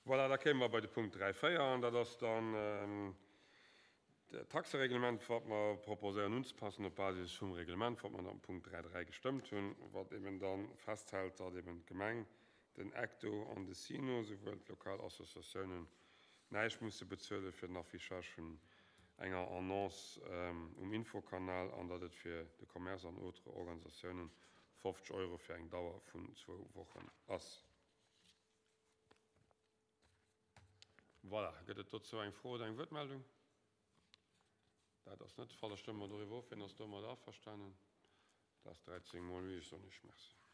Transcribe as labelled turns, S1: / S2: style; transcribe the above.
S1: Voilà, da kéime mer bei de Punkt 3, 4, an dat ass dann d'Taxereglement, wat mer proposéieren unzepassen op Basis vum Reglement, wat mer am Punkt 3, 3 gestëmmt hunn, wat eben da festhält, datt eben d'Gemeng, den ECTO an de SINO souwuel d'lokal Associatiounen näischt musse bezuele fir den Affichage vun enger Annonce um Infokanal an datt et fir de Commerce an autres Organisatiounen 50 Euro fir eng Dauer vun zwou Wochen ass. Voilà, gëtt et dozou eng Fro oder eng Wuertmeldung? Dat ass net de Fall. Da stëmme mer doriwwer of. Wien ass domadder averstanen? Dat ass 13 mol oui. Ech soen Iech Merci.